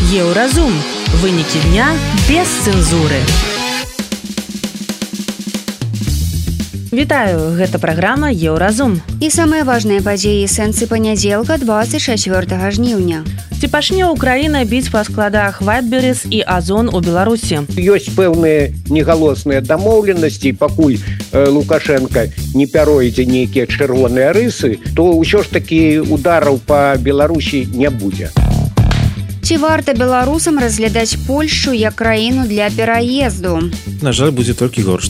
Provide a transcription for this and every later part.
Еўразум. Вынікі дня без цэнзуры. Вітаю, гэта праграма Еўразум. І самыя важныя падзеі сэнсы панядзелка 24 жніўня. Ці пачне Украіна біць па складах Вайтберрис і Озон у Беларусі? Ёсць пэўныя негалосныя дамоўленасці, пакуль Лукашенко не пяройдзе нейкія чырвоныя рысы, то ўсё ж такі удараў па Беларусі не будзе. Ці варта беларусам разглядаць Польшчу як краіну для пераезду? На жаль, будзе толькі горш.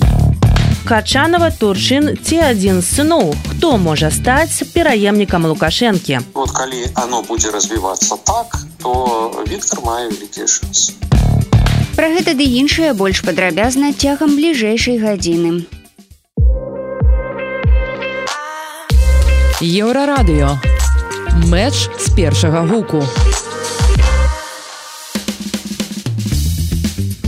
Качанова, Турчын ці адзін з сыноў. Хто можа стаць пераемнікам Лукашэнкі? Вот калі оно будзе развівацца так, то Віктор мае вялікія шансы. Пра гэта ды іншае больш падрабязна цягам бліжэйшай гадзіны. Еўрарадыё. Мэч з першага гуку.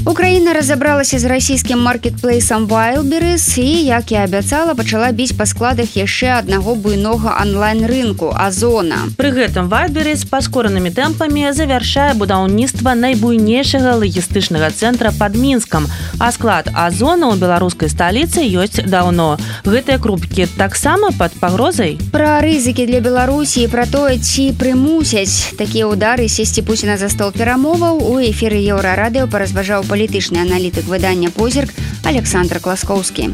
Украіна разабралася з расійскім маркетплейсам Wildberries і, як і абяцала, пачала біць па складах яшчэ аднаго буйнога онлайн-рынку – Озона. Пры гэтым Wildberries паскоранымі тэмпамі завяршае будаўніцтва найбуйнейшага лагістычнага цэнтра пад Мінскам, а склад Озона ў беларускай сталіцы ёсць даўно. Гэтыя крупкі таксама пад пагрозай? Пра рызыкі для Беларусі і пра тое, ці прымусяць такія ўдары сесці Пуціна за стол перамоваў у эфіры Еўрарадыё паразважаў палітычны аналітык выдання «Позірк» Александр Класкоўскі.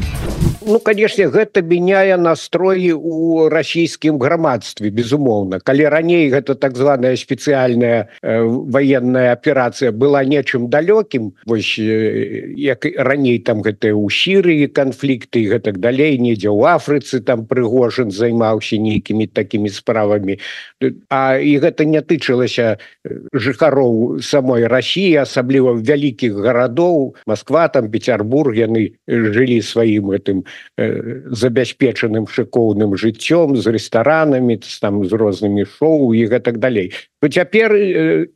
Ну, конечно, гэта мяняе настроі ў расійскім грамадстве, безумоўна. Калі раней гэта так званая спецыяльная военная аперацыя была нечым далёкім, вось як раней там гэта ў Сірыі канфлікты і гэтак далей, недзе ў Афрыцы там Прыгожин займаўся нейкімі такімі справамі. І гэта не тычылася жыхароў самой Расіі, асабліва вялікіх гарадоў, Москва, там Петербург, яны жылі сваім гэтым забяспечаным шыкоўным жыццём, з рэстаранамі, там, з рознымі шоу і гэтак далей. Цяпер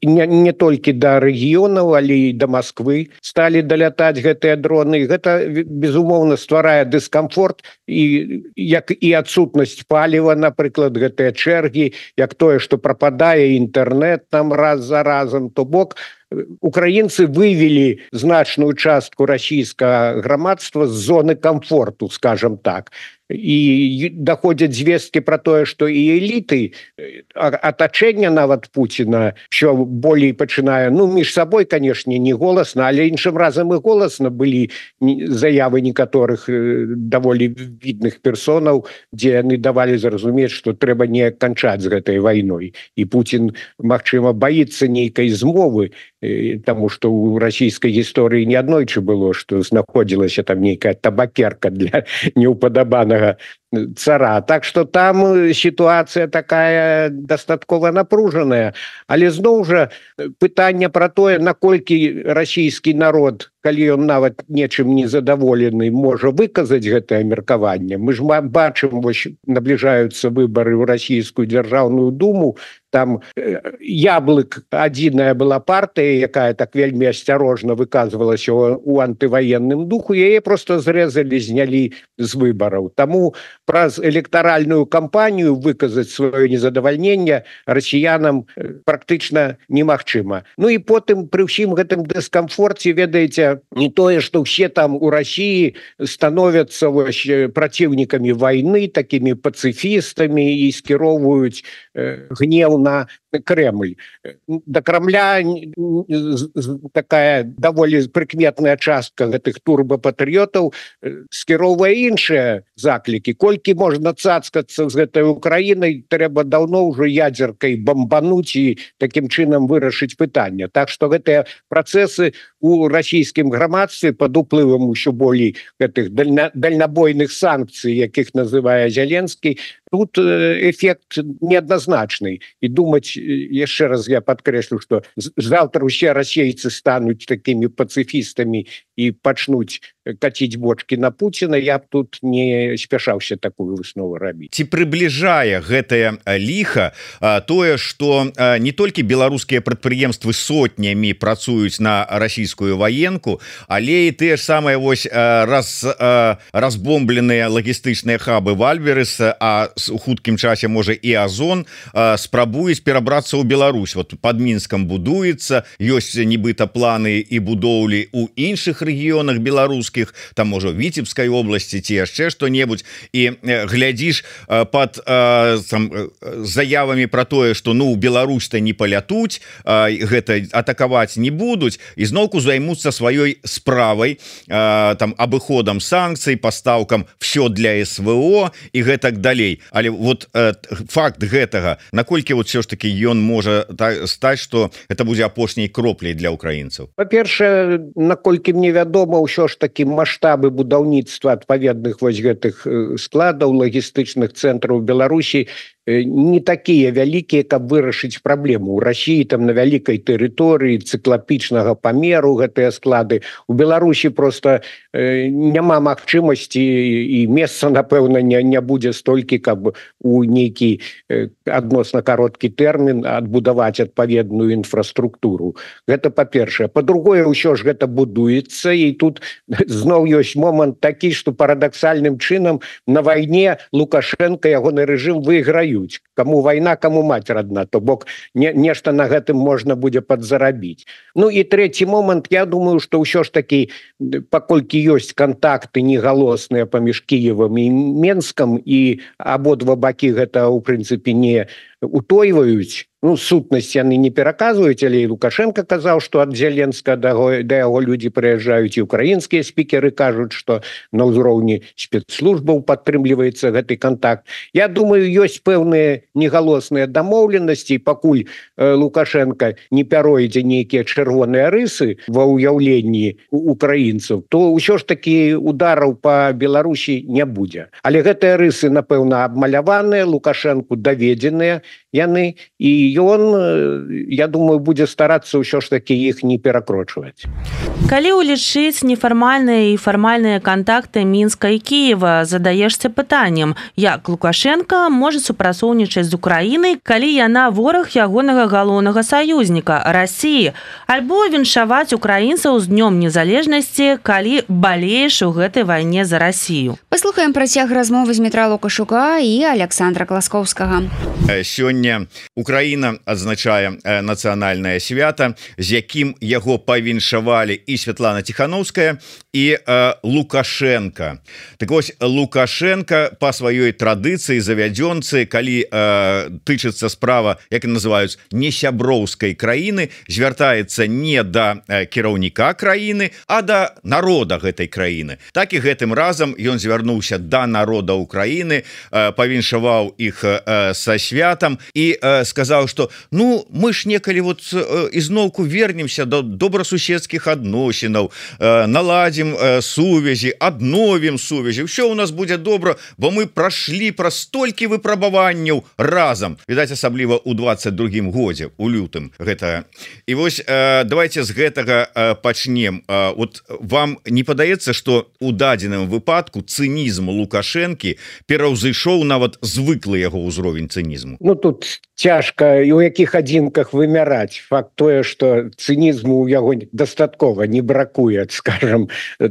не толькі да рэгіёнаў, але і да Масквы сталі далятаць гэтыя дроны. Гэта, безумоўна, стварае дыскамфорт, як і адсутнасць паліва, напрыклад, гэтыя чэргі, як тое, што прападае інтэрнэт там раз за разам, то бок украінцы вывели значную частку расійскага грамадства з зоны комфорту, скажем так. І даходзяць звесткі пра тое, што і эліты, атачэнне нават Пуціна, що болей пачынае, ну, між сабой, канешне, не голасна, але іншым разам і голасна былі заявы некаторых даволі відных персонаў, дзе яны давалі зразумець, што трэба неяк канчаць з гэтай вайной. І Пуцін, магчыма, баіцца нейкай змовы, таму што ў расійскай гісторыі не аднойчы было, што знаходзілася там нейкая табакерка для неўпадабанага цара. Так што там сітуацыя такая дастаткова напружаная. Але зноў жа пытанне пра тое, наколькі расійскі народ, калі ён нават нечым не задаволены, можа выказаць гэтае меркаванне. Мы ж бачым, вось набліжаюцца выбары ў расійскую дзяржаўную думу, там Яблык, адзіная была партыя, якая так вельмі асцярожна выказвалася ў антываенным духу, яе проста зрэзалі, знялі з выбараў. Таму праз электаральную кампанію выказаць сваё незадавальненне расіянам практычна немагчыма. Ну і потым пры ўсім гэтым дыскамфорце, ведаеце, не тое, што ўсе там у Расіі становяцца праціўнікамі вайны, такімі пацыфістамі і скіроўваюць гнеў на Кремль. Да Кремля такая даволі прыкметная частка гэтых турбапатрыётаў скіроўвае іншыя заклікі. Колькі можна цацкацца з гэтай Украінай, трэба даўно ўжо ядзеркай бамбануць і такім чынам вырашыць пытанне. Так што гэтыя працэсы у расійскім грамадстве пад уплывам усё болей гэтых дальнабойных санкцый, якіх называе Зеленскі, тут эфект неадназначны. І думаць, яшчэ раз я падкрэслю, што заўтра ўсе расейцы стануць такімі пацыфістамі і пачнуць каціць бочки на Пуціна, я б тут не спяшаўся такую выснову рабіць. Ці прыбліжае гэтае ліха тое, што не толькі беларускія прадпрыемствы сотнямі працуюць на расійскую ваенку, але і тыя ж самыя вось разбомбленыя лагістычныя хабы Вальберес, а у хуткім часе можа і Азон спрабуюць перабрацца ў Беларусь. Вот под Мінскам будуецца, ёсць нібыта планы і будоўлі у іншых рэгіёнах беларускіх, там можа Віцебскай обласці ці яшчэ што-небудзь, і глядзіш под заявамі про тое, што ну Беларусь-то не палятуць, гэта атакаваць не будуць, і зноўку займуцца сваёй справай, там абыходам санкцый, пастаўкам все для СВО і гэтак далей. Але вот факт гэтага, наколькі вот все ж таки ён можа стаць, што это будзе апошняй кропляй для украінцаў? Па-першае, наколькі мне вядома, ўсё ж таки маштабы будаўніцтва адпаведных вось гэтых складаў лагістычных цэнтраў Беларусі не такія вялікія, каб вырашыць праблему. У Росіі там на вялікай тэрыторыі цыклапічнага памеру гэтыя склады. У Беларусі просто няма магчымасці і месца, напэўна, не будзе столькі, каб у нейкі адносна кароткі тэрмін адбудаваць адпаведную інфраструктуру. Гэта па-першае. Па-другое, ўсё ж гэта будуецца, і тут зноў ёсць момант такі, што парадаксальным чынам на вайне Лукашенко, ягоны рэжым выйграюць. Каму вайна, каму маць родна, то бок нешта на гэтым можна будзе падзарабіць. Ну і трэці момант, я думаю, што ўсё ж такі, паколькі ёсць кантакты негалосныя паміж Кіевам і Менскам, і абодва бакі гэта, у прынцыпе, не утойваюць, ну, сутнасць яны не пераказваюць, але і Лукашенко казаў, што ад Зеленска да яго людзі прыязджаюць, і украінскія спікеры кажуць, што на ўзроўні спецслужбаў падтрымліваецца гэты контакт. Я думаю, ёсць пэўныя негалосныя дамоўленасці, пакуль Лукашенко не пяройдзе нейкія чырвоныя рысы ва ўяўленні украінцаў, то ўсё ж такі удараў па Беларусі не будзе. Але гэтыя рысы, напэўна, абмаляваныя, Лукашенку даведзеныя яны, і ён, я думаю, будзе старацца ўсё ж такі іх не перакрочваць. Калі ўлічыць нефармальныя і фармальныя кантакты Мінска і Кіева, задаешся пытаннем, як Лукашенко можа супрацоўнічаць з Украінай, калі яна вораг ягонага галоўнага саюзніка Расіі, альбо віншаваць украінцаў з днём незалежнасці, калі балееш у гэтай вайне за Расію. Паслухаем працяг размовы з Дмітра Лукашука і Александра Класкоўскага. Сёння Украіна адзначае нацыянальнае свята, з якім яго павіншавалі і Святлана Ціхановская, і Лукашенко. Так вось, Лукашенко па сваёй традыцыі завядзёнцы, калі тычыцца справа, як называюць, несяброўскай краіны, звяртаецца не да кіраўніка краіны, а да народа гэтай краіны. Так і гэтым разам ён звярнуўся да народа Украіны, павіншаваў іх са святам і сказаў, што ну мы ж некалі вот ізноўку вернемся до добрасуседскіх адносінаў, наладзім сувязі, адновім сувязі, ўсё у нас будзе добра, бо мы прашлі праз столькі выпрабаванняў разам, відаць, асабліва ў 22-м годзе, у лютым гэта. І вось давайте з гэтага пачнем. Вот вам не падаецца, што у дадзеным выпадку цынізм Лукашэнкі пераўзышоў нават звыклы яго ўзровень цынізму? Ну, тут цяжка і ў якіх адзінках вымяраць. Факт тое, што цынізму ў яго дастаткова не бракуе, скажем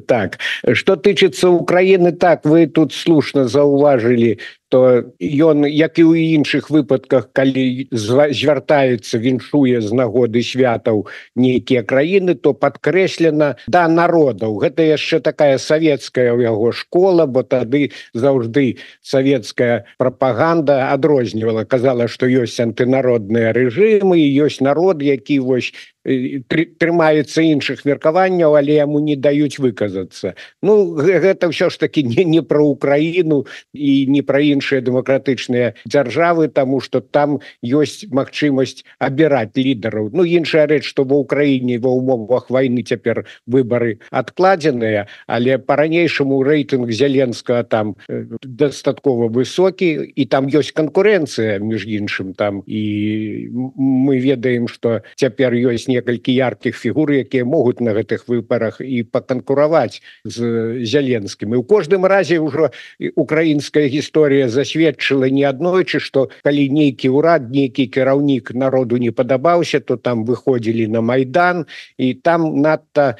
так. Што тычыцца Украіны, так, вы тут слушна заўважылі, то ён, як і ў іншых выпадках, калі звяртаецца, віншуе з нагоды святаў нейкія краіны, то падкрэслена да народаў. Гэта яшчэ такая савецкая ў яго школа, бо тады заўжды савецкая прапаганда адрознівала, казала, што ёсць антынародныя рэжымы, і ёсць народ, які вось трымаецца іншых меркаванняў, але яму не даюць выказацца. Ну, гэта ўсё ж такі не пра Украіну і не пра іншыя дэмакратычныя дзяржавы, таму што там ёсць магчымасць абіраць лідараў. Ну, іншая рэч, што ва Ўкраіне ва ўмовах вайны цяпер выбары адкладзеныя, але па-ранейшаму рэйтынг Зеленскага там дастаткова высокі, і там ёсць канкурэнцыя, між іншым, там, і мы ведаем, што цяпер ёсць некалькі яркіх фігур, якія могуць на гэтых выбарах і паканкураваць з Зеленскім. І ў кожным разе ўжо украінская гісторыя засведчыла неаднойчы, што калі нейкі ўрад, нейкі кіраўнік народу не падабаўся, то там выходзілі на Майдан, і там надта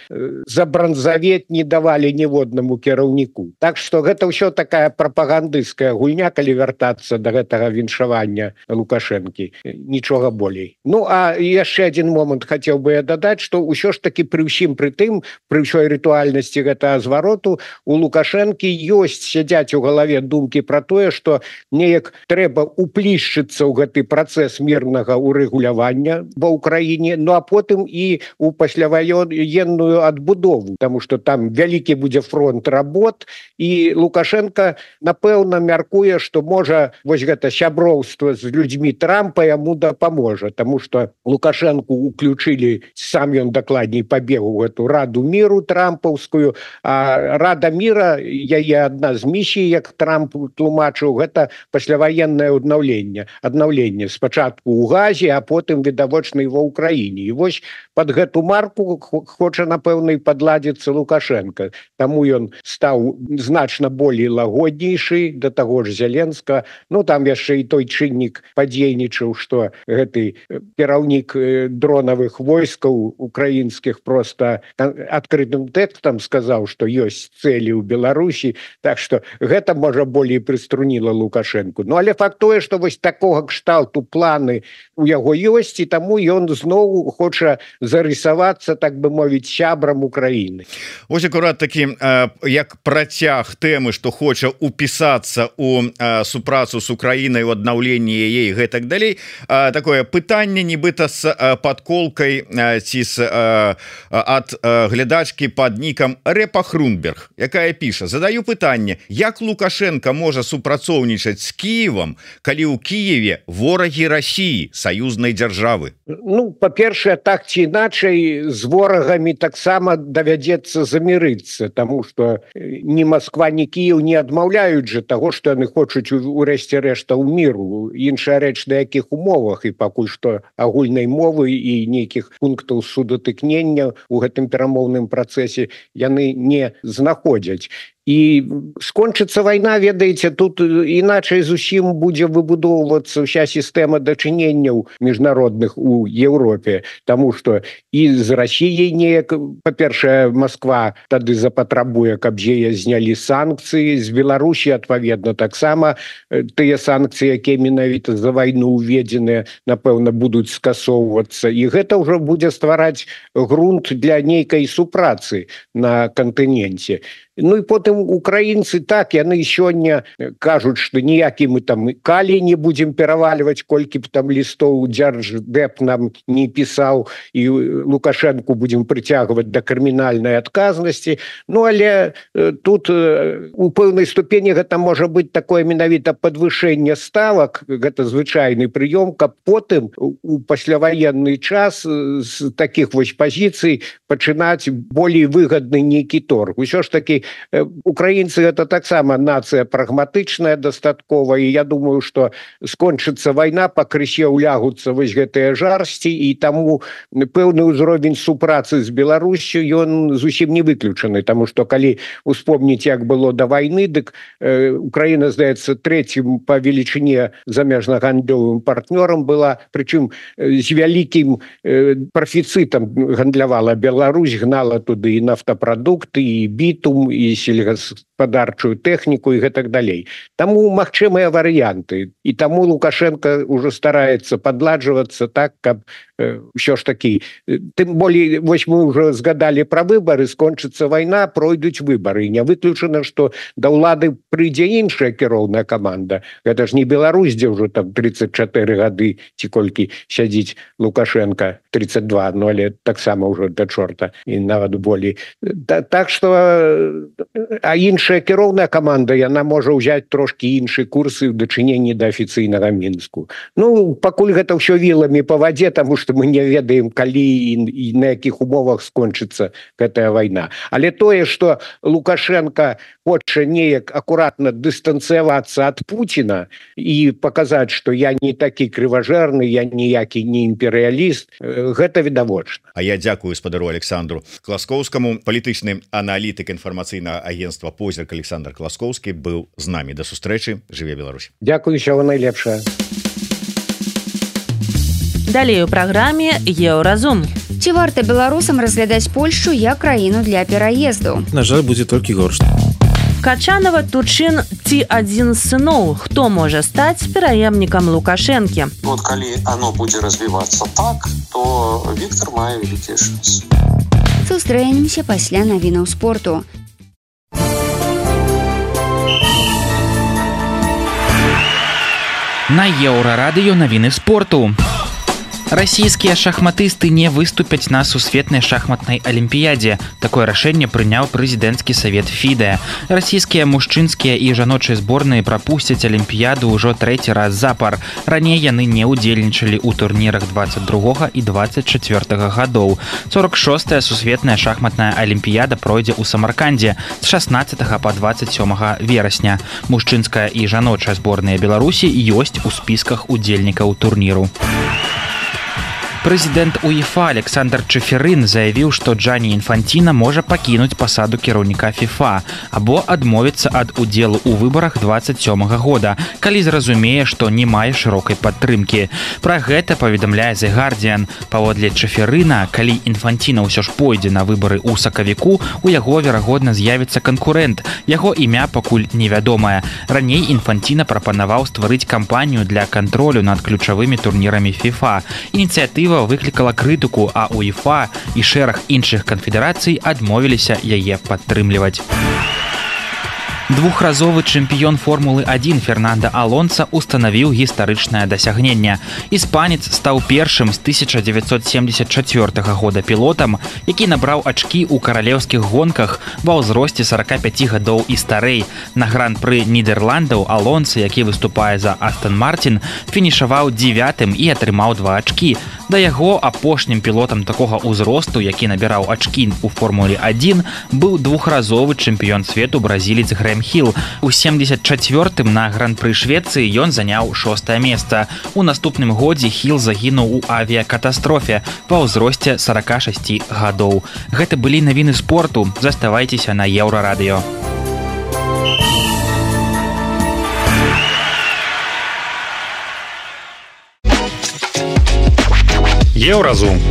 за бранзавет не давалі ніводнаму кіраўніку. Так што гэта ўсё такая прапагандысцкая гульня, калі вяртацца да гэтага віншавання Лукашэнкі. Нічога болей. Ну, а яшчэ адзін момант хацеў бы я дадаць, што ўсё ж такі пры ўсім пры тым, пры ўсёй рытуальнасці гэтага звароту, у Лукашэнкі ёсць, сядзяць у галаве думкі пра тое, што неяк трэба уплішчыцца ў гэты працэс мірнага урэгулявання ва ўкраіне, ну а потым і у пасляваенную адбудову, таму што там вялікі будзе фронт работ, і Лукашенко, напэўна, мяркуе, што можа вось гэта сяброўства з людзьмі Трампа яму дапаможа, таму што Лукашенку уключылі, сам ён дакладней пабег у эту Раду міру трампаўскую, а Рада міра, яе адна з місій, як Трамп тлумачыў, гэта пасляваеннае аднаўленне спачатку ў Газе, а потым відавочна і ва ўкраіне. І вось пад гэту марку хоча, напэўна, і падладзіцца Лукашенко. Таму ён стаў значна болей лагоднейшы, да таго ж Зеленска. Ну, там яшчэ і той чыннік падзейнічаў, што гэты кіраўнік дронавых войскаў украінскіх проста адкрытым тэкстам сказаў, што ёсць цэлі ў Беларусі, так што гэта, можа, болей прыструніла Лукашенку. Ну, але факт тое, што вось такога кшталту планы у яго ёсць, і таму ён зноў хоча зарысавацца, так бы мовіць, сябрам Украіны. Вось акурат такі, як працяг тэмы, што хоча упісацца ў супрацу з Украінай, у аднаўленні яе і гэтак далей, такое пытанне нібыта з падколкай ці ад глядачкі пад нікам Рэпа Хрунберг, якая піша: задаю пытанне, як Лукашенко можа супрацоўнічаць з Кіевам, калі ў Кіеве ворагі Расіі, саюзнай дзяржавы? Ну, па-першае, так ці іначай з ворагамі таксама давядзецца замірыцца, таму што ні Москва, ні Кіев не адмаўляюць жа таго, што яны хочуць урэшце рэшта ў міру. Іншая рэч, на якіх умовах, і пакуль што агульнай мовы і нейкіх пунктаў судатыкнення ў гэтым перамоўным працэсе яны не знаходзяць. І скончыцца вайна, ведаеце, тут іначай зусім будзе выбудоўвацца ўся сістэма дачыненняў міжнародных у Еўропе, таму што і з Расіяй неяк, па-першае, Москва тады запатрабуе, каб яе знялі санкцыі, з Беларусі, адпаведна, таксама тыя санкцыі, якія менавіта за вайну ўведзеныя, напэўна, будуць скасоўвацца, і гэта ўжо будзе ствараць грунт для нейкай супрацы на кантыненце. Ну і потым украінцы, так, яны сёння кажуць, што ніякі мы там калі не будзем перавальваць, колькі б там лістоў Дзярждэп нам не пісаў, і Лукашэнку будзем прыцягваць да крымінальнай адказнасці. Ну, але тут у пэўнай ступені гэта можа быць такое менавіта падвышэнне ставак, гэта звычайны прыём, каб потым у пасляваенны час з такіх вось пазіцый пачынаць болей выгадны нейкі торг. Усё ж такі украінцы гэта таксама нацыя прагматычная дастаткова, і я думаю, што скончыцца вайна, пакрысе ўлягуцца вось гэтыя жарсці, і таму пэўны ўзровень супрацы з Беларусю ён зусім не выключаны, таму што калі успомніць, як было да вайны, дык Украіна, здаецца, трэцім па велічыне замежна-гандлёвым партнёрам была, прычым з вялікім прафіцытам гандлявала Беларусь, гнала туды і нафтапрадукты, і бітум, і сельгаспадарчую тэхніку і гэтак далей. Таму магчымыя варыянты. І таму Лукашенко ўжо стараецца падладжвацца так, каб ўсё ж такі. Тым болей, вось мы ўжо згадалі пра выбары, скончыцца вайна, пройдуць выбары. Не выключана, што да ўлады прыйдзе іншая кіроўная каманда. Гэта ж не Беларусь, дзе ўжо там 34 гады ці колькі сядзіць Лукашенко, 32, ну але таксама ўжо да чорта, і нават болей. Так што а іншая кіроўная каманда яна можа ўзяць трошки іншыя курсы ў дачыненні да афіцыйнага Мінску. Ну пакуль гэта ўсё віламі па вадзе, таму што мы не ведаем калі і на якіх умовах скончыцца гэтая вайна. Але тое, што Лукашенко хоча неяк акуратна дыстанцыявацца ад Пуціна і паказаць, што я не такі крыважэрны, я ніякі не імперыяліст, гэта відавочна. А я дзякую спадару Александру Класкоўскаму. Палітычны аналітык інфармацыйнага агенцтва «Позірк» Александр Класкоўскі быў з намі. Да сустрэчы. Жыве Беларусь. Дзякую, усяго найлепшае. Далей у праграме «Еўразум». Ці варта беларусам разглядаць Польшчу як краіну для пераезду? На жаль, будзе толькі горш. Качанова, Тучын ці адзін з сыноў, хто можа стаць пераемнікам Лукашэнкі? Вот калі оно будзе развівацца так, то Віктор мае вялікія шансы. Сустрэнемся пасля навінаў спорту. На Еўрарадыё навіны спорту. Расійскія шахматысты не выступяць на сусветнай шахматнай алімпіядзе. Такое рашэнне прыняў прэзідэнцкі савет ФІДЭ. Расійскія мужчынскія і жаночыя зборныя прапусцяць алімпіяду ўжо трэці раз запар. Раней яны не ўдзельнічалі ў турнірах 22 і 24 гадоў. 46-я сусветная шахматная алімпіяда пройдзе ў Самаркандзе з 16 па 27 верасня. Мужчынская і жаночая зборныя Беларусі ёсць у спісках удзельнікаў турніру. Прэзідэнт УЕФА Александр Чеферын заявіў, што Джані Інфанціна можа пакінуць пасаду кіраўніка ФІФА або адмовіцца ад удзелу ў выбарах 27 года, калі зразумее, што не мае шырокай падтрымкі. Пра гэта паведамляе The Guardian. Паводле Чеферына, калі Інфанціна ўсё ж пойдзе на выбары ў сакавіку, у яго, верагодна, з'явіцца канкурэнт. Яго імя пакуль невядомае. Раней Інфанціна прапанаваў стварыць кампанію для кантролю над ключавымі турнірамі ФІФА. Ініцыятыва выклікала крытыку, а УЕФА і шэраг іншых канфедэрацый адмовіліся яе падтрымліваць. Двухразовы чэмпіён Формулы-1 Фернандо Алонса устанавіў гістарычнае дасягненне. Іспанец стаў першым з 1974 года пілотам, які набраў ачкі ў каралеўскіх гонках ва ўзросце 45 гадоў і старэй. На гран-пры Нідерландаў Алонса, які выступае за Астон Мартин, фінішаваў 9-м і атрымаў 2 ачкі. Да яго апошнім пілотам такога ўзросту, які набіраў ачкі ў Формуле-1, быў двухразовы чэмпіён свету бразілец Грэм Хіл. У 74-м на гран-пры Швецыі ён заняў 6-е месца. У наступным годзе Хіл загінуў у авіякатастрофе ва ўзросце 46 гадоў. Гэта былі навіны спорту. Заставайцеся на Еўрарадыё. Еўразум.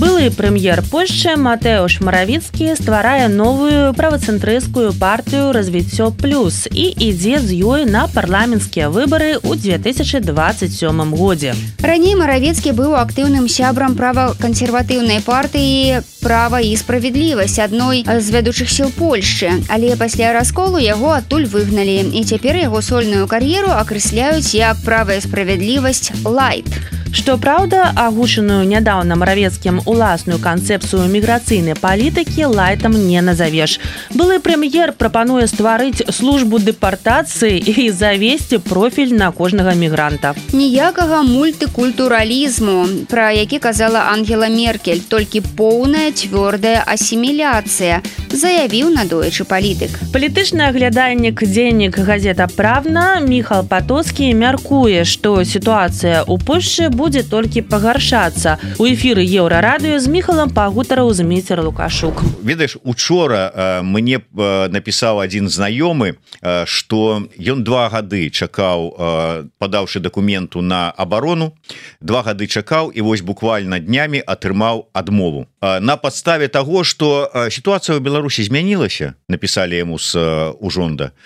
Былы прэм'ер Польшчы Матэуш Маравіцкі стварае новую правацэнтрысцкую партыю «Развіццё плюс» і ідзе з ёй на парламенцкія выбары ў 2027 годзе. Раней Маравіцкі быў актыўным сябрам правакансерватыўнай партыі «Права і справядлівасць», адной з вядучых сіл Польшчы, але пасля расколу яго адтуль выгналі, і цяпер яго сольную кар'еру акрэсляюць як «Права і справядлівасць лайт». Што праўда, агучаную нядаўна Маравецкім уласную канцэпцыю міграцыйнай палітыкі лайтам не назавеш. Былы прэм'ер прапануе стварыць службу дэпартацыі і завесці профіль на кожнага мігранта. Ніякага мультыкультуралізму, пра які казала Ангела Меркель, толькі поўная цвёрдая асіміляцыя, заявіў надоечы палітык. Палітычны аглядальнік дзейнік газета «Правна» Міхал Патоцкі мяркуе, што сітуацыя ў Польшчы будзе толькі пагаршацца. У эфіры Еўрарадыё з Міхалам пагутарыў Зміцер Лукашук. Ведаеш, учора мне напісаў адзін знаёмы, што ён 2 гады чакаў, падаўшы дакументу на абарону, 2 гады чакаў і вось буквально днямі атрымаў адмову. На падставе таго, што сітуацыя ў Беларусі змянілася, напісалі яму з ужонда,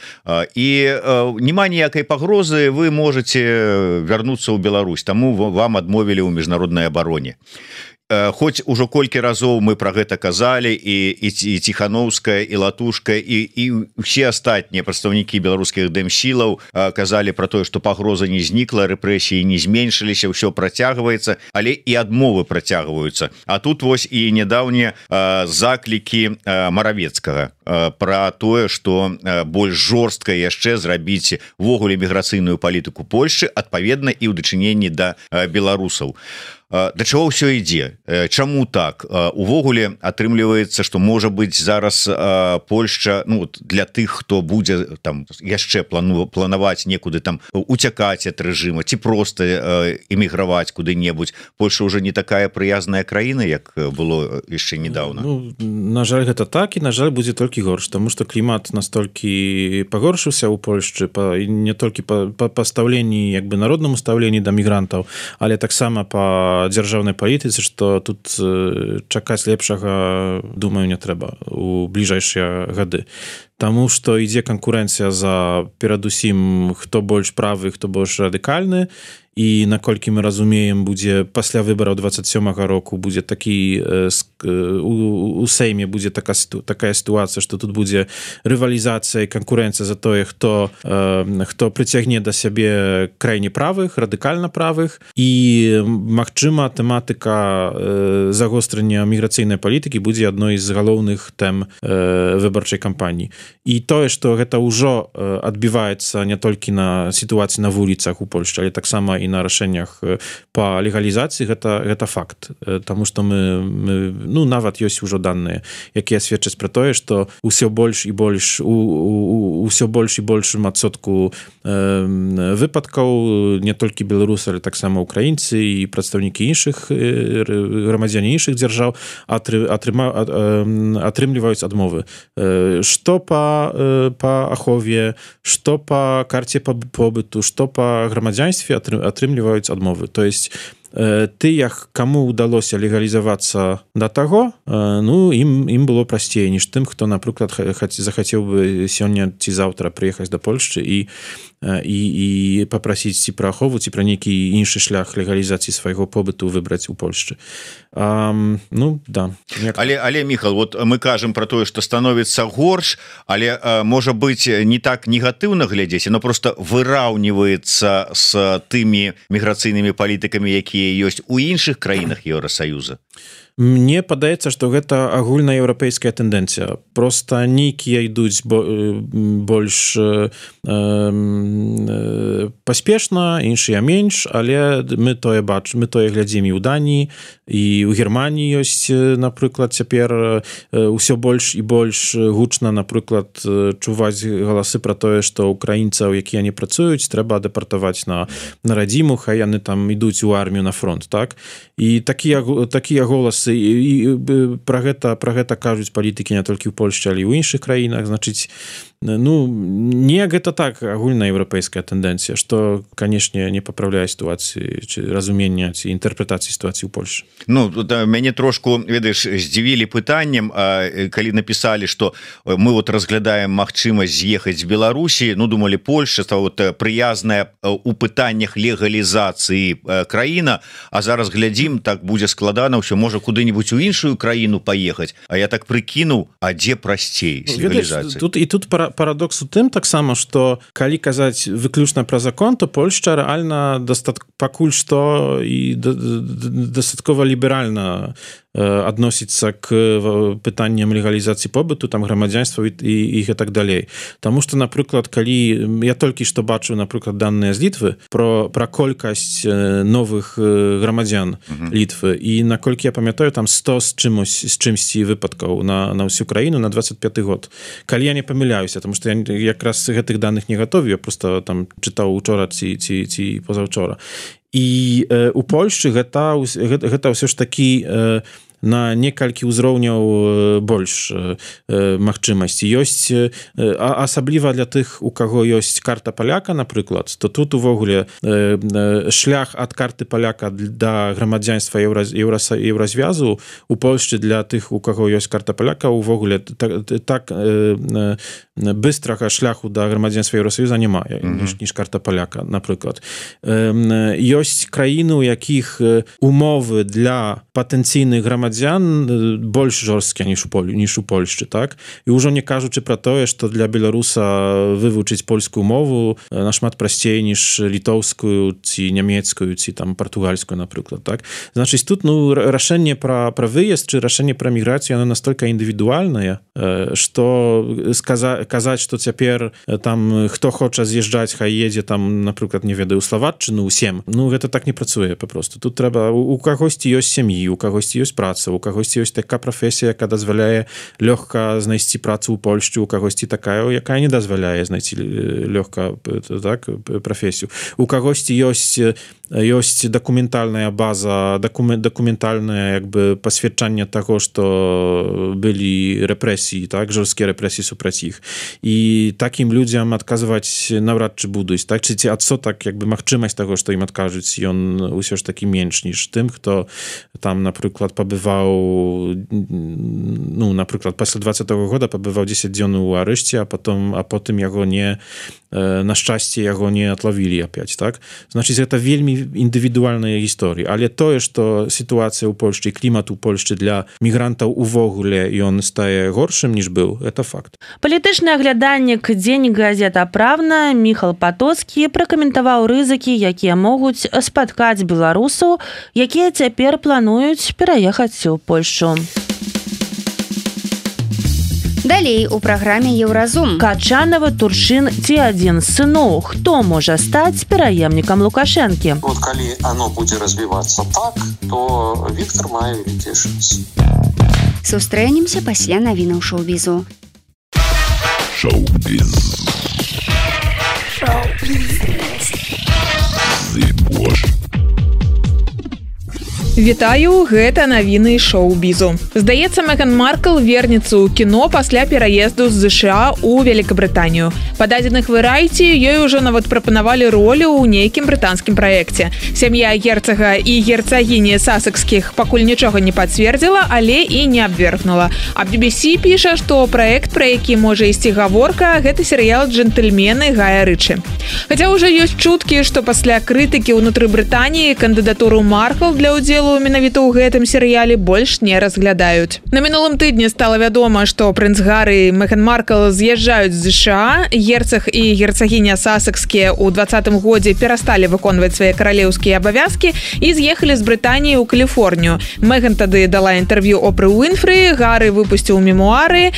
і няма ніякай пагрозы, вы можете вярнуцца ў Беларусь, таму вам адмовілі ў міжнароднай абароне. хоць ужо колькі разоў мы про гэта казалі і Ціхановская і Латушка і все астатнія прадстаўнікі беларускіх дэмсілаў казалі про тое, што пагроза не знікла, рэпрэсіі не зменшыліся, ўсё працягваецца, але і адмовы працягваюцца. А тут вось і нядаўнія заклікі Маравецкага про тое, што больш жорстка яшчэ зрабіць увогуле міграцыйную палітыку Польшчы, адпаведна і ў дачыненні да беларусаў. Да чаго ўсё ідзе? Чаму так? Увогуле атрымліваецца, што можа быць зараз Польшча, ну, для тых, хто будзе там яшчэ планаваць некуды там уцякаць ад рэжыма ці проста эміграваць куды-небудзь. Польша ўжо не такая прыязная краіна, як было яшчэ недавно. Ну, на жаль, гэта так, і на жаль, будзе толькі горш, таму што клімат настолькі пагоршыўся ў Польшчы, не толькі па стаўленні, як бы народнаму стаўленні да мігрантаў, але таксама па дзяржаўнай палітыцы, што тут чакаць лепшага, думаю, не трэба у бліжэйшыя гады. Таму што ідзе канкурэнцыя за перадусім хто больш правы, хто больш радыкальны, і наколькі мы разумеем, будзе пасля выбараў 27-го року будзе такі у Сейме будзе такая сітуацыя, што тут будзе рывалізацыя і канкурэнцыя за тое, хто прыцягне да сябе крайне правых, радыкальна правых, і магчыма тэматыка загострання міграцыйнай палітыкі будзе адной з галоўных тэм выбарчай кампаніі. І тое, што гэта ўжо адбіваецца не толькі на сітуацыі на вуліцах у Польшчы, але таксама і на рашэннях па легалізацыі, гэта факт. Таму што мы нават ёсць ужо даныя, якія сведчаць пра тое, што ўсё больш і больш усё больш і большым адсотку выпадкаў не толькі беларусы, але таксама украінцы і прадстаўнікі іншых грамадзяне іншых дзяржаў атрымліваюць адмовы. Што па ахове, што па карце побыту, што па грамадзянстве атрымліваюць адмовы. То есть тых, каму ўдалося легалізавацца да таго, ну, ім было прасцей, ніж тым, хто, напрыклад, захацеў бы сёння ці заўтра прыехаць да Польшчы і папрасіць ці пра ахову, ці пра нейкі іншы шлях легалізацыі свайго побыту выбраць у Польшчы. Ну, да. Але, Міхал, вот мы кажам пра тое, што становіцца горш, але, можа быць, не так негатыўна глядзець, но просто выраўніваецца з тымі міграцыйнымі палітыкамі, якія ёсць у іншых краінах Еўрасаюза. Мне падаецца, што гэта агульнаеўрапейская тэндэнцыя. Проста нейкія ідуць больш паспешна, іншыя менш, але мы тое бачым, мы тое глядзім і ў Даніі, і ў Германіі ёсць, напрыклад, цяпер ўсё больш і больш гучна, напрыклад, чуваць галасы пра тое, што украінцаў, якія не працуюць, трэба дэпартаваць на радзіму, хай яны там ідуць у армію на фронт, так? І такія голасы і пра гэта кажуць палітыкі не толькі ў Польшчы, але і ў іншых краінах. Значыць, ну, не гэта так агульнаеўрапейская тэндэнцыя, што, канешне, не папраўляе сітуацыі ці разумення ці інтэрпрэтацыі сітуацыі ў Польшчы. Ну, мяне трошку, ведаеш, здзівілі пытаннем, калі напісалі, што мы вот разглядаем магчымасць з'ехаць з Беларусі, ну, думалі, Польшча вот прыязная у пытаннях легалізацыі краіна, а зараз глядзім, так будзе складана ўсё, можа куды-нибудь у іншую краіну паехаць, а я так прыкінуў, а дзе прасцей з легалізацыяй? Тут парадокс у тым таксама, што калі казаць выключна пра закон, то Польшча рэальна пакуль што і дастаткова ліберальна адносіцца к пытанням легалізацыі побыту, там грамадзянства і гэтак далей. Таму што, напрыклад, калі я толькі што бачу, напрыклад, даныя з Літвы пра колькасць новых грамадзян Літвы, і наколькі я памятаю, там 100 з чымсьці выпадкаў на ўсю краіну на 25 год. Калі я не памыляюся, тому што я якраз гэтых даных не гатові, я просто там чытаў учора ці пазаўчора. І у Польшчы гэта ўсё ж такі на некалькі ўзроўняў больш магчымасці. Ёсць, асабліва для тых, у каго ёсць карта паляка, напрыклад, то тут увогуле шлях ад карты паляка да грамадзянства Еўразвязу у Польшчы для тых, у каго ёсць карта паляка, увогуле так быстрага шляху да грамадзянства Еўрасаюза няма, ніж карта паляка, напрыклад. Ёсць краіны, у якіх умовы для патэнцыйных грамадзян больш жорсткія, ніж у Польшчы, так? І ўжо не кажучы пра тое, што для беларуса вывучыць польскую мову нашмат прасцей, ніж літоўскую, ці нямецкую, ці там партугальскую, напрыклад, так? Значыць, тут, рашэнне пра выезд, ці рашэнне пра міграцыю, оно настолькі індывідуальнае, што казаць, што цяпер там хто хоча з'язджаць, хай едзе там, напрыклад, не ведаю, у Славатчыну, усім. Гэта так не працуе папросту. Тут трэба, у кагосьці ёсць сям'і, у кагосьці ёсць праца, у кагосьці ёсць такая прафесія, якая дазваляе лёгка знайсці працу ў Польшчы, у кагосьці такая, якая не дазваляе знайсці лёгка, так, прафесію. У кагосьці ёсць дакументальная база, дакументальнае пасведчанне таго, што былі рэпрэсіі, так, жорсткія рэпрэсіі супраць іх. І такім людзям адказваць наўрад ці будуць, так, ці адсотак магчымасць таго, што ім адкажуць, ён усё ж такі менш, ніж тым, хто там, напрыклад, пабываў, напрыклад, пасля 20-го года пабываў 10 дзён у арышце, а потым яго не, на шчасце, яго не атлавілі апять, так? Значыць, гэта вельмі індывідуальныя гісторыі, але тое, што сітуацыя ў Польшчы і клімат у Польшчы для мігрантаў увогуле ён стае горшым, ніж быў, это факт. Палітычны аглядальнік «Дзень газета «Правна» Міхал Патоцкі пракаментаваў рызыкі, якія могуць спаткаць беларусаў, якія цяпер плануюць пераехаць у Польшчу. Далей у праграме «Еўразум». Качанова, Туршын ці адзін з сыноў. Хто можа стаць пераемнікам Лукашэнкі? Калі оно будзе развівацца так, то Віктор мае вялікі шанс. Сустрэнемся пасля навінаў шоу-бізу. Шоу-біз. Вітаю, гэта навіны шоу-бізу. Здаецца, Меган Маркл вернецца ў кіно пасля пераезду з США ў Великабрытанію. Па дадзеных Variety ёй ужо нават прапанавалі ролю ў нейкім брытанскім праекце. Сям'я герцага і герцагіні сасекскіх пакуль нічога не пацвердзіла, але і не абвергнула. А BBC піша, што праект, пра які можа ісці гаворка, гэта серыял «Джентльмены» Гая Рычы. Хаця ўжо ёсць чуткі, што пасля крытыкі ўнутры Брытаніі кандыдатуру Маркл для ўдзелу менавіта ў гэтым серыяле больш не разглядаюць. На мінулым тыдні стала вядома, што прынц Гары і Меган Маркл з'язджаюць з США. Герцаг і герцагіня сасекскія ў 2020 годзе перасталі выконваць свае каралеўскія абавязкі і з'ехалі з Брытаніі ў Каліфорнію. Меган тады дала інтэрв'ю Опры Уінфры, Гары выпусціў мемуары,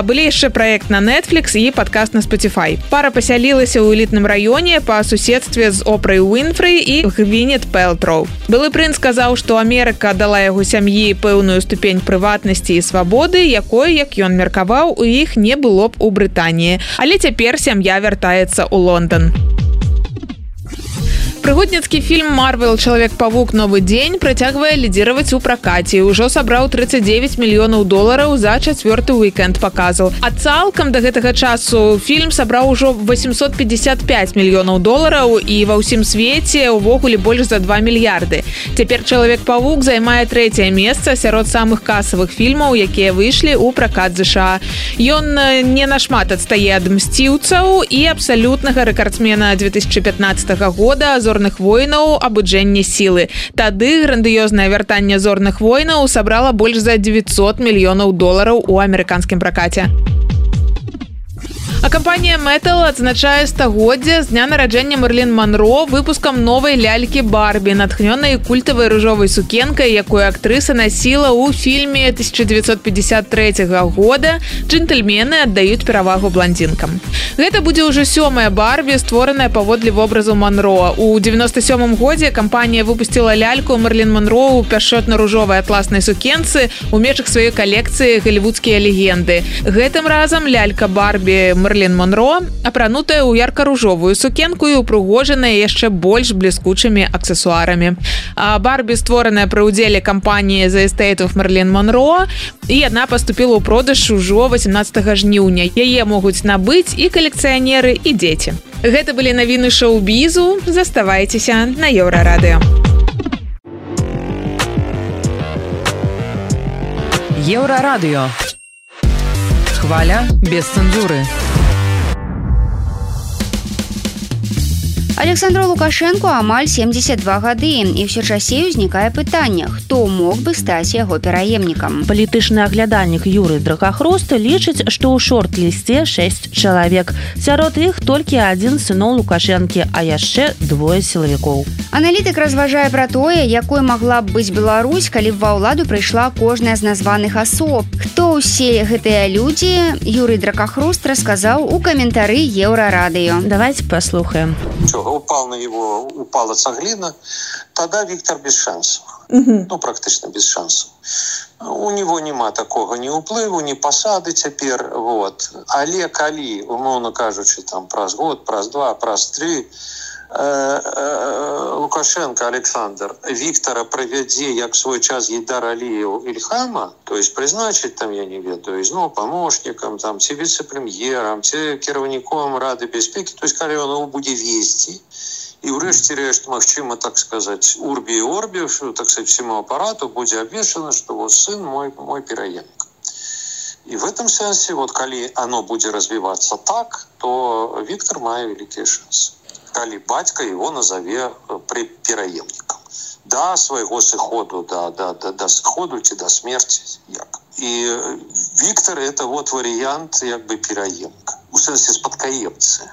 былі яшчэ праект на Netflix і падкаст на Spotify. Пара пасялілася ў элітным раёне па суседстве з Опрой Уінфры і Гвінет Пэлтроу. Былы прынц сказаў, што Амерыка дала яго сям'і пэўную ступень прыватнасці і свабоды, якой, як ён меркаваў, у іх не было б у Брытаніі. Але цяпер сям'я вяртаецца ў Лондан. Прыгодніцкі фільм «Марвел. Чалавек-павук. Новы дзень» працягвае лідзіраваць у пракаце. Ужо сабраў $39 мільёнаў за 4-й уікенд паказаў. А цалкам да гэтага часу фільм сабраў ужо $855 мільёнаў і ва ўсім свеце увогуле больш за 2 мільярды. Цяпер «Чалавек-павук» займае 3-е месца сярод самых касавых фільмаў, якія выйшлі ў пракат США. Ён не нашмат адстае ад «Мсціўцаў» і абсалютнага рэкардсмена 2015 года «Зорных войнаў. Абуджэнне сілы». Тады грандыёзнае вяртанне «Зорных войнаў» сабрала больш за $900 мільёнаў у амерыканскім пракаце. А кампанія Mattel адзначае стагоддзе з дня нараджэння Мэрылін Монро выпускам новай лялькі Барбі, натхнёнай культавай ружовай сукенкай, якую актрыса насіла ў фільме 1953 года «Джентльмены аддаюць перавагу бландзінкам». Гэта будзе ўжо 7-я Барбі, створаная паводле вобразу Монро. У 97 годзе кампанія выпусціла ляльку Мэрылін Монро ў пяшчотна-ружовай атласнай сукенцы ў межах сваёй калекцыі «Галівудскія легенды». Гэтым разам лялька Барбі Мэрылін Мерлін Монро, апранутая ў ярка-ружовую сукенку і упрыгожаная яшчэ больш бліскучымі аксесуарамі. Барбі створаная пры ўдзеле кампаніі The Estate of Мерлін Монро, і яна паступіла ў продаж ужо 18 жніўня. Яе могуць набыць і калекцыянеры, і дзеці. Гэта былі навіны шоу-бізу. Заставайцеся на Еўрарадыё. Еўрарадыё. Хваля без цэнзуры. Александру Лукашенко амаль 72 гады, і ўсё часцей узнікае пытанне, хто мог бы стаць яго пераемнікам. Палітычны аглядальнік Юрый Дракахрост лічыць, што ў шорт-лісце 6 чалавек. Сярод іх толькі адзін з сыноў Лукашэнкі, а яшчэ 2 сілавікоў. Аналітык разважае пра тое, якой магла б быць Беларусь, калі б ва ўладу прыйшла кожная з названых асоб. Хто ўсе гэтыя людзі, Юрый Дракахрост расказаў у каментары Еўрарадыё. Давайте паслухаем. Упала цаглина, тогда Виктор без шансов. Ну, практично без шансов. У него нема такого ни уплыву, ни посады теперь. Вот. Але калі, умовно кажучи, там, праз год, праз два, праз три, Лукашенко Александр Виктора провядзе, як свой час Гейдар Алиев Ильхама, то есть призначить там, я не ведаю, ну, помощником, там, ці вице-премьером, ці кіраўніком Рады бяспекі, то есть калі он будзе весці, і ўрэшце рэшт, магчыма, так сказать, урби и орби, так сказать, всему аппарату будзе абвешчана, что вот сын мой пераемник. И в этом сенсе, вот, калі оно будзе развиваться так, то Виктор мае великие шансы. Калі бацька его назове пераемником. До своего сыходу, до сыходу ці до смерти. Як. И Виктор это вот вариант як бы пераемника. У сенсе спадкаемцы.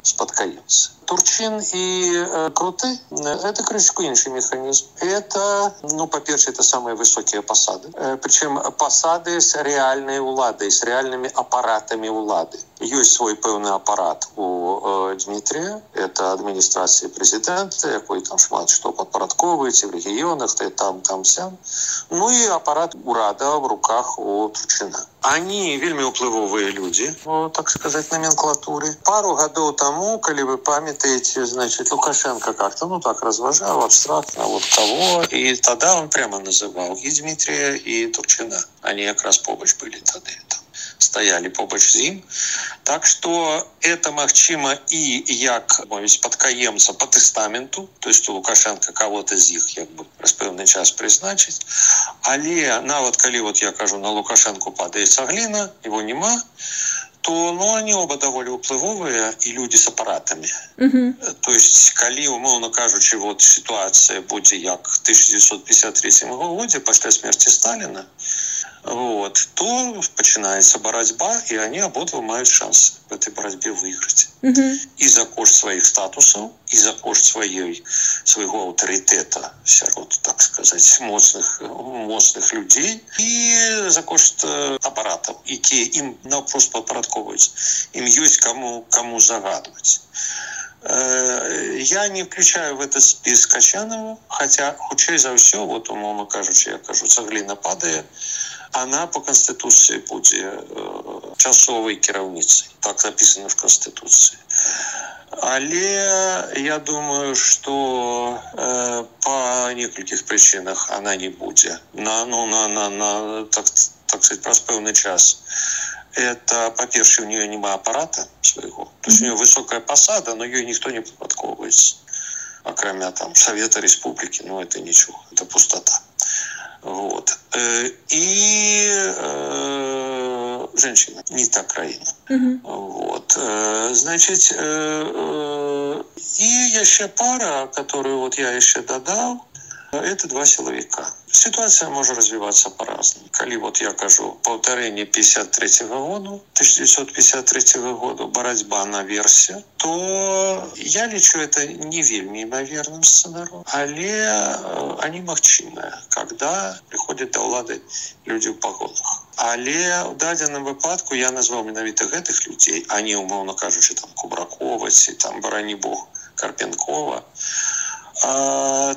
Турчин и Круты – это крышечку інший механизм. Это, ну, по-перше, это самые высокие посады. Причем посады с реальной уладой, с реальными аппаратами улады. Есть свой пэўный аппарат у Дмитрия. Это администрация президента, якой там шмат что подпарадковываете в регионах, там, сям. Ну и аппарат урада в руках у Турчина. Они вельмі уплывовые люди, так сказать, номенклатуры. Пару годов тому, коли вы памятаете, значит, Лукашенко как-то, ну так, разважал абстрактно, вот кого. И тогда он прямо называл и Дмитрия, и Турчина. Они как раз побач были тогда там. Стояли побач з ім. Так что это магчыма і як, мовіць, падкаемца по тестаменту, то есть у Лукашенко кого-то з іх як бы раз пэўны час прызначыць. Але нават калі вот я кажу, на Лукашенко падае цагліна, его нема, то, ну, они оба довольно уплывовые и люди с аппаратами. То есть, калі, умовно кажучи, вот ситуация будзе як в 1953 году, пасля смерти Сталина, вот, то начинается борьба, и они ободва мают шанс в этой борьбе выиграть. И за кошт своих статусов, и за кошт своего авторитета сярод, так сказать, моцных людей, и за кошт аппаратов, якія им просто подпарадковываются. Им есть кому загадывать. Я не включаю в этот список Качанова, хотя, хутчэй за ўсё, вот, умовно кажучи, я кажу, цагліна падае, она по Конституции будет часовой кіраўніцай. Так написано в Конституции. Але я думаю, что по нескольких причинах она не будет. Так сказать, праз пэўны час. Это, по-перше, у нее нема аппарата своего. То есть у нее высокая посада, но ее никто не подпарадковывается. Окромя там Совета Республики, ну это ничего, это пустота. Вот. И женщина, не та краина. Вот. Значит, и еще пара, которую вот я еще додал, это 2 силовика. Ситуация может развиваться по-разному. Калі вот я кажу повторение 1953 года, борьба наверсе, то я лічу это не вельмі імаверным сценаром, але они магчымыя, когда приходят до ўлады люди в погонах. Але в дадзеным выпадку я назвал менавіта гэтых людей, а не, умовно кажучи, там Кубракова, ці там, барані бог, Карпенкова,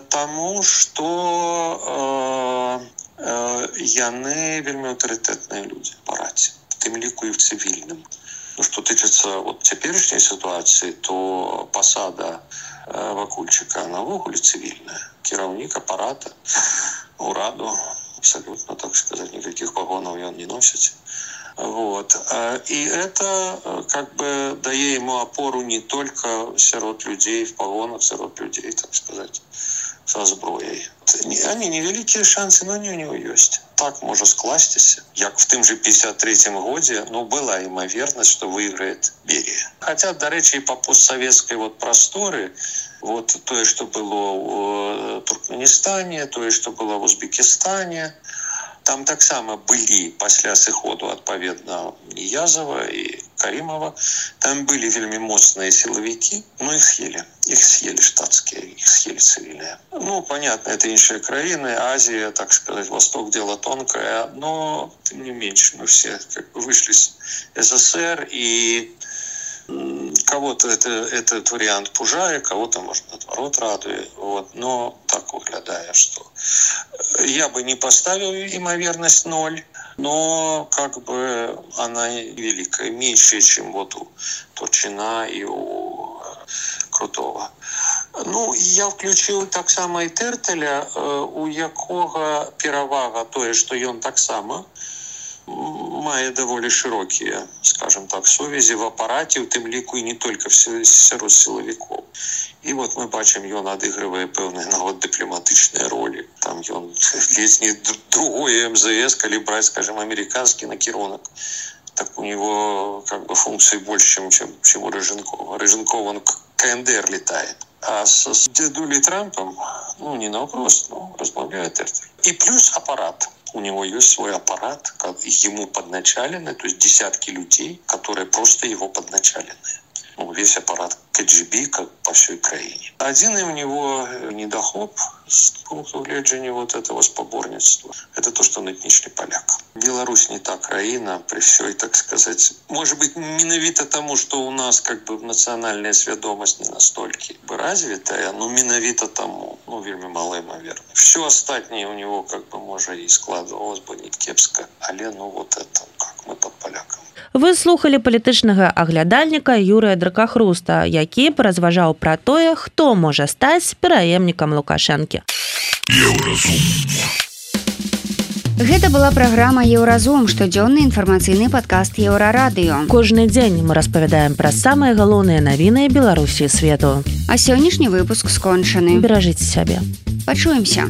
тому что яны вельмі аўтарытэтныя людзі па раце, в тым ліку і в цывільным. Что тычыцца вот цяперашняй сітуацыі, то пасада Вакульчыка, она ввогуле цывільная. Кіраўнік апарата, ураду, абсолютно, так сказать, никаких погонов он не носит. Вот. И это как бы дает ему опору не только сярод людей в погонах, сярод людей, так сказать, со зброей. Они невеликие шансы, но они у него есть. Так может скласціся, як в тым же 53-м годзе, ну, была імавернасць, что выиграет Берия. Хотя, до речи, по постсоветской вот просторы, вот то, что было в Туркменистане, то, что было в Узбекистане, там так само были пасля сыходу адпаведна Ниязова и Каримова, там были вельмі моцныя силовики, но их съели штатские, их съели цивильные. Ну, понятно, это іншыя краины, Азия, так сказать, Восток дело тонкое, но тем не меньше мы все как бы вышли из СССР, и кого-то этот вариант пужает, кого-то, может, наоборот радует. Вот. Но так выглядая, что я бы не поставил имоверность 0, но как бы она великая, меньше, чем вот у Турчина и у Крутого. Ну, я включил так само и Тертеля, у якого перавага тое, что ён так само мае даволі широкие, скажем так, сувязі в апарате, у тым ліку і не только сярод силовиков. И вот мы бачим, ён адыгрывае пэўныя нават дыпламатычныя ролі. Там ён ледзь не другое МЗС, калі браць, скажем, американский накірунак. Так у него как бы функции больше, чем у Рыженкова. Рыженков, он КНДР летает. А с дедулей Трампом, ну, не напрост, но размовляет Тертель. И плюс аппарат. У него есть свой аппарат, ему подначалены, то есть десятки людей, которые просто его подначалены. Ну, весь аппарат КГБ как по всей краине. Один у него недохоп с пункту гледжання вот этого споборництва. Это то, что он этничный поляк. Беларусь не та краина при всей, так сказать, может быть, менавіта тому, что у нас как бы национальная свядомость не настолько развитая, но менавіта тому, ну, вельмі мало имоверно. Все остальное у него как бы, может, и складывалось бы не кепско, але ну вот это, как мы под поляком. Вы слухали палітычнага аглядальніка Юрыя Дракахруста, які паразважаў пра тое, хто можа стаць пераемнікам Лукашэнкі. Гэта была праграма «Еўразум», штодзённы інфармацыйны падкаст Еўрарадыё. Кожны дзень мы распавядаем пра самыя галоўныя навіны Беларусі і свету. А сённяшні выпуск скончаны. Беражыце сябе. Пачуемся.